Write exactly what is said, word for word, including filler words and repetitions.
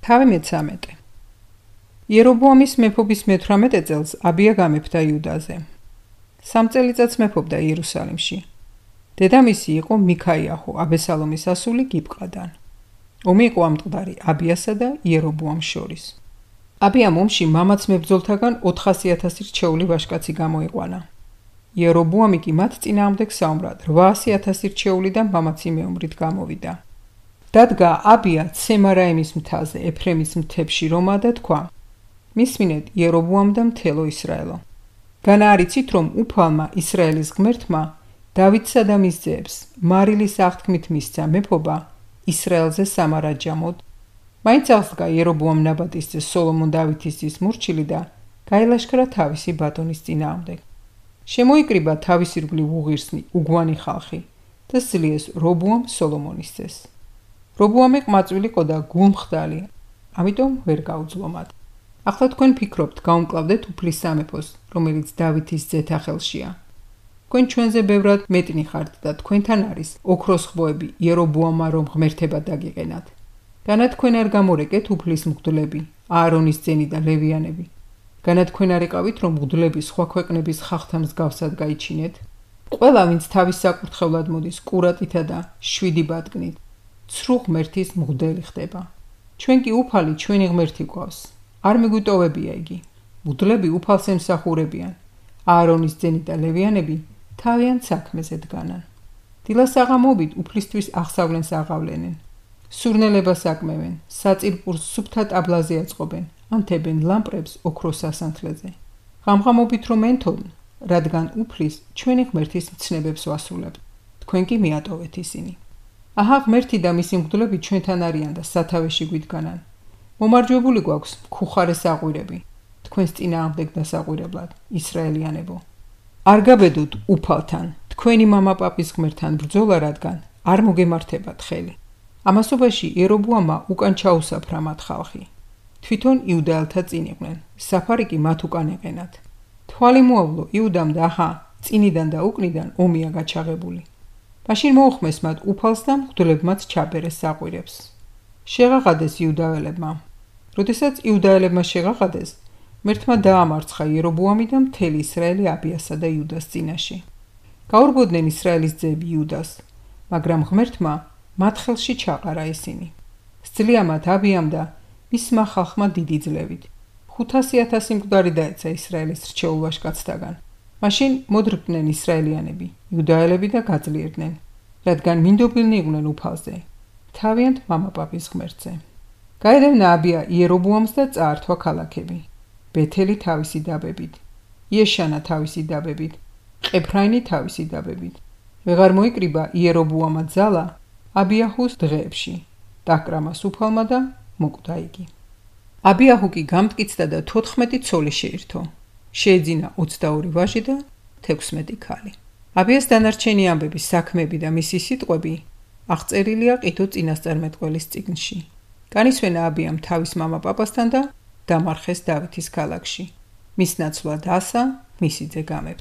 თავი მეცამეტე. იერობოამის მეფობის მეთვრამეტე წელს აბია გამეფდა იუდაზე. სამ წელიწადს მეფობდა იერუსალიმში. დედამისი იყო მიქაიაჰუ, აბესალომის ასული გიბყადან. ომი იყო ამწყდარი აბიასა და იერობოამს შორის. აბიამ ომში მამაც მებრძოლთაგან ოთხასი ათასი რჩეული ვაჟკაცი გამოიყვანა. იერობოამი კი მათ წინააღმდეგ საომრად რვაასი ათასი რჩეული და მამაცი მეომრით გამოვიდა. დადგა აბია ცემარაიმის მთაზე, ეფრემის მთებში რომა და თქვა: მისმინეთ იერობოამ და მთელო ისრაელო. განა არიცით, რომ უფალმა ისრაელის ღმერთმა დავითსა და მის ძეებს მარილის აღთქმით მისცა მეფობა ისრაელზე სამარაჯამოდ. მაინც აღსდგა იერობოამ ნაბატის ძე სოლომონ დავითის ძის მორჩილი და გაილაშქრა თავისი ბატონის წინააღმდეგ. შემოიკრიბა თავის ირგვლივ უღირსნი, უგვანი ხალხი და სძლიეს რობოამ სოლომონის ძეს. რობოამი ყმაწვილი იყო და გულმხდალი, ამიტომ ვერ გაუძლო მათ. ახლა თქვენ ფიქრობთ, გაუმკლავდეთ უფლის სამეფოს, რომელიც დავითის ძეთა ხელშია. თქვენ ჩვენზე ბევრად მეტნი ხართ და თქვენთან არის ოქროს ხვოები იერობოამა რომ ღმერთებად დაგიყენათ. განა თქვენ არ გამორეკეთ უფლის მღვდლები, აარონის ძენი და ლევიანები. განა თქვენ არ იყავით, რომ მღვდლები სხვა ქვეყნების ხალხთა მსგავსად გაიჩინეთ. ყველა, ვინც თავის საკურთხევლად მოდის კურატითა და შვიდი ბატკნით, ცრუ ღმერთის მღვდელი ხდება. ჩვენ კი უფალი ჩვენი ღმერთი გვყავს. არ მიგვიტოვებია იგი. მღვდლები უფალს ემსახურებიან. აარონის ძენი და ლევიანები თავიანთ საქმეზე დგანან. დილას აღამობით უფლისთვის აღსავლენს აღავლენენ. სურნელებას აკმევენ, საწირპურს სუფთა ტაბლაზე აწყობენ, ანთებენ ლამპრებს ოქროს სასანთლეზე. ღამღამობით რომ ენთონ, რადგან უფლის ჩვენი ღმერთის მცნებებს ვასრულებთ. თქვენ კი მიატოვეთ ისინი. აჰა, ღმერთი და მისი მღვდლები ჩვენთან არიან და სათავეში გვიდგანან. მომარჯვებული გვაქვს მქუხარე საყვირები, თქვენს წინააღმდეგ დასაყვირებლად, ისრაელიანებო. არ გაბედოთ უფალთან, თქვენი მამაპაპის ღმერთთან ბრძოლა, რადგან არ მოგემართებათ ხელი. ამასობაში იერობოამმა უკან ჩაუსაფრა მათ ხალხი. თვითონ იუდაელთა წინ იყვნენ, საფარი კი მათ უკან ეყენათ. თვალი მოავლო იუდამ და აჰა, წინიდან და უკნიდან ომია გაჩაღებული. მაშინ მოუხმეს მათ უფალს და მღვდლებმაც ჩაბერეს საყვირებს. შეღაღადეს იუდაელებმა. როდესაც იუდაელებმა შეღაღადეს, ღმერთმა დაამარცხა იერობოამი და მთელი ისრაელი აბიასა და იუდას წინაშე. გაურბოდნენ ისრაელის ძეები იუდას, მაგრამ ღმერთმა მათ ხელში ჩაყარა ისინი. სძლია მათ აბიამ და მისმა ხალხმა დიდი ძლევით. ხუთასი ათასი მკვდარი დაეცა ისრაელის რჩეულ ვაჟკაცთაგან. მაშინ მოდრკდნენ ისრაელიანები, იუდაელები და გაძლიერდნენ, რადგან მინდობილნი იყვნენ უფალზე, თავიანთ მამაპაპის ღმერთზე. გაედევნა აბია იერობოამს და წაართვა ქალაქები. ბეთელი თავისი დაბებით, იეშანა თავისი დაბებით, ყეფრაინი თავისი დაბებით. ვეღარ მოიკრიბა იერობოამა ძალა აბიაჰუს დღეებში, დაკრამას უფალმა და მოკვდა იგი. აბიაჰუ კი გამტკიცდა და თოთხმეტი ცოლი შეირთო. შეეძინა ოცდაორი ვაჟი და თექვსმეტი ქალი. აბიას დანარჩენი ამბები, საქმეები და მისი სიტყვები აღწერილია ყიდო წინასწარმეტყველის წიგნში. განისვენა აბიამ თავის მამაპაპასთან და დამარხეს დავითის ქალაქში. მის ნაცვლად ასა, მისი ძე გამეფდა.